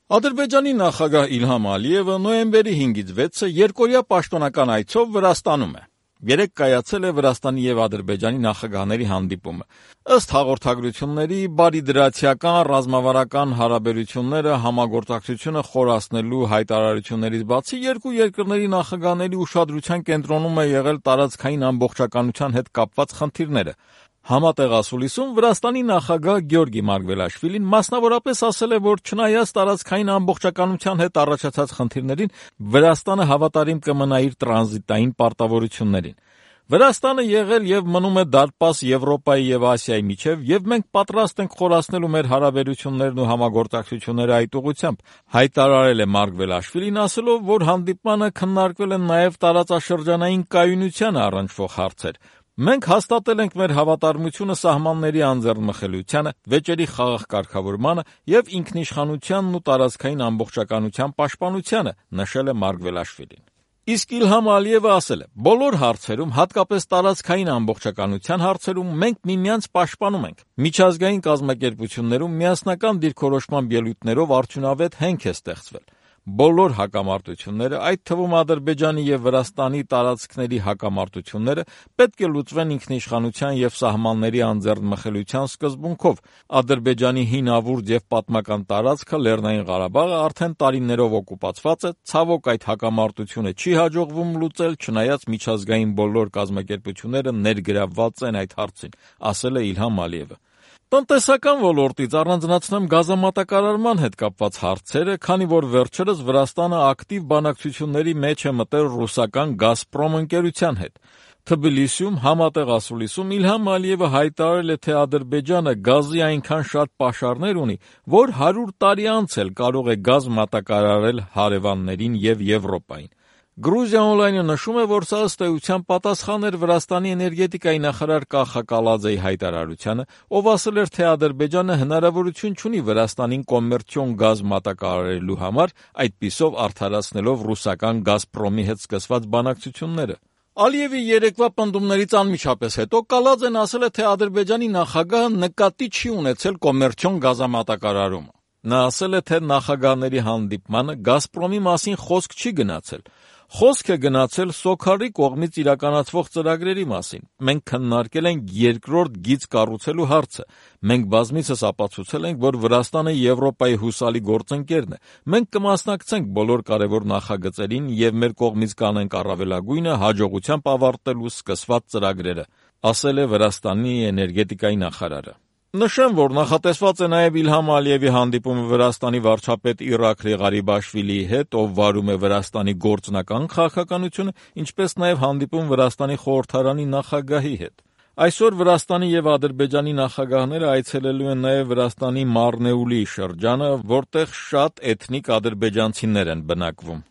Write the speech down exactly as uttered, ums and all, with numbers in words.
Ադրբեջանի նախագահ Իլհամ Ալիևը նոյեմբերի հինգից վեցը երկօրյա պաշտոնական այցով Վրաստանում է։ Երեկ կայացել է Վրաստանի եւ Ադրբեջանի նախագահների հանդիպումը։ Ըստ հաղորդագրությունների, բարիդրացիական ռազմավարական հարաբերությունները համագործակցությունը խորացնելու հայտարարություններից բացի երկու երկրների նախագահների ուշադրության կենտրոնում է եղել տարածքային ամբողջականության հետ կապված խնդիրները։ Համատեղասուլիսում Վրաստանի նախագահ Գյորգի Մարգվելաշվիլին մասնավորապես ասել է, որ չնայած տարածքային ամբողջականության հետ առաջացած խնդիրներին, Վրաստանը հավատարիմ կմնա իր տրանզիտային պարտավորություններին։ Վրաստանը եղել եւ մնում է դարպաս Եվրոպայի եւ Ասիայի միջեւ, եւ մենք պատրաստ ենք խորացնելու մեր հարաբերություններն ու համագործակցությունները այդ ուղղությամբ, հայտարարել է Մարգվելաշվիլին, ասելով, որ հանդիպմանը քննարկվել են նաեւ տարածաշրջանային կայունությանը առնչվող հարցեր։ Մենք հաստատել ենք մեր հավատարմությունը սահմանների անձեռնմխելիությանը, վեճերի խաղաղ կարգավորմանը եւ ինքնիշխանությանն ու տարածքային ամբողջականության պաշտպանությանը, նշել է Մարգվելաշվիլին։ Իսկ Իլհամ Ալիևը ասել է. «Բոլոր հարցերում, հատկապես տարածքային ամբողջականության հարցերում, մենք միմյանց պաշտպանում ենք։ Միջազգային կազմակերպություններում միասնական դիրքորոշման ելույթներով արդյունավետ հենք է ստեղծվել։ Բոլոր հակամարտությունները, այդ թվում Ադրբեջանի եւ Վրաստանի տարածքների հակամարտությունները, պետք է լուծվեն ինքնիշխանության եւ սահմանների անձեռնմխելիության սկզբունքով։ Ադրբեջանի հինավուրց եւ պատմական տարածքը Լեռնային Ղարաբաղը արդեն տարիներով օկուպացված է, ցավոք այդ հակամարտությունը չի հաջողվում լուծել, չնայած միջազգային բոլոր կազմակերպությունները ներգրավված են այդ հարցին», ասել է Իլհամ Ալիևը։ Տնտեսական ոլորտից առանձնացնեմ գազամատակարարման հետ կապված հարցերը, քանի որ վերջերս Վրաստանը ակտիվ բանակցությունների մեջ է մտել ռուսական «Գազպրոմ» ընկերության հետ։ Թբիլիսիում համատեղասուլիսում Իլհամ Ալիևը հայտարարել է, թե Ադրբեջանը գազի այնքան շատ պաշարներ ունի, որ հարյուր տարի անց էլ կարող է գազ մատակարարել հարևաններին եւ Եվրոպային։ Gruzian Online-ը նշում է, որ սա ըստ էության պատասխան էր Վրաստանի էներգետիկայի նախարար Կախա Կալաձեի հայտարարությանը, ով ասել էր, թե Ադրբեջանը հնարավորություն չունի Վրաստանին կոմերցիոն գազ մատակարարելու համար, այդպիսով արդարացնելով ռուսական «Գազպրոմի» հետ սկսված բանակցությունները։ Ալիևի երեկվա պնդումներից անմիջապես հետո Կալաձեն ասել է, թե Ադրբեջանի նախագահը նկատի չի ունեցել կոմերցիոն գազամատակարարումը։ Նա ասել է, թե նախագահների հանդիպմանը «Գազպրոմի» մասին խոսք չի գնացել։ Խոսք է գնացել Սոքարի կողմից իրականացվող ծրագրերի մասին։ Մենք քննարկել ենք երկրորդ գիծ կառուցելու հարցը։ Մենք բազմիցս ապացուցել ենք, որ Վրաստանը Եվրոպայի հուսալի գործընկերն է։ Մենք կմասնակցենք բոլոր կարևոր նախագծերին եւ մեր կողմից կանենք առավելագույնը հաջողությամբ ավարտելու սկսված ծրագրերը, ասել է Վրաստանի էներգետիկայի նախարարը։ Նշեմ, որ նախատեսված է նաև Իլհամ Ալիևի հանդիպումը Վրաստանի վարչապետ Իրաքլի Ղարիբաշվիլիի հետ, ով վարում է Վրաստանի գործնական քաղաքականությունը, ինչպես նաև հանդիպում Վրաստանի խորհրդարանի նախագահի հետ։ Այսօր Վրաստանի եւ Ադրբեջանի նախագահները այցելելու են նաև Վրաստանի Մարնեուլի շրջանը, որտեղ շատ էթնիկ ադրբեջանցիներ են բնակվում։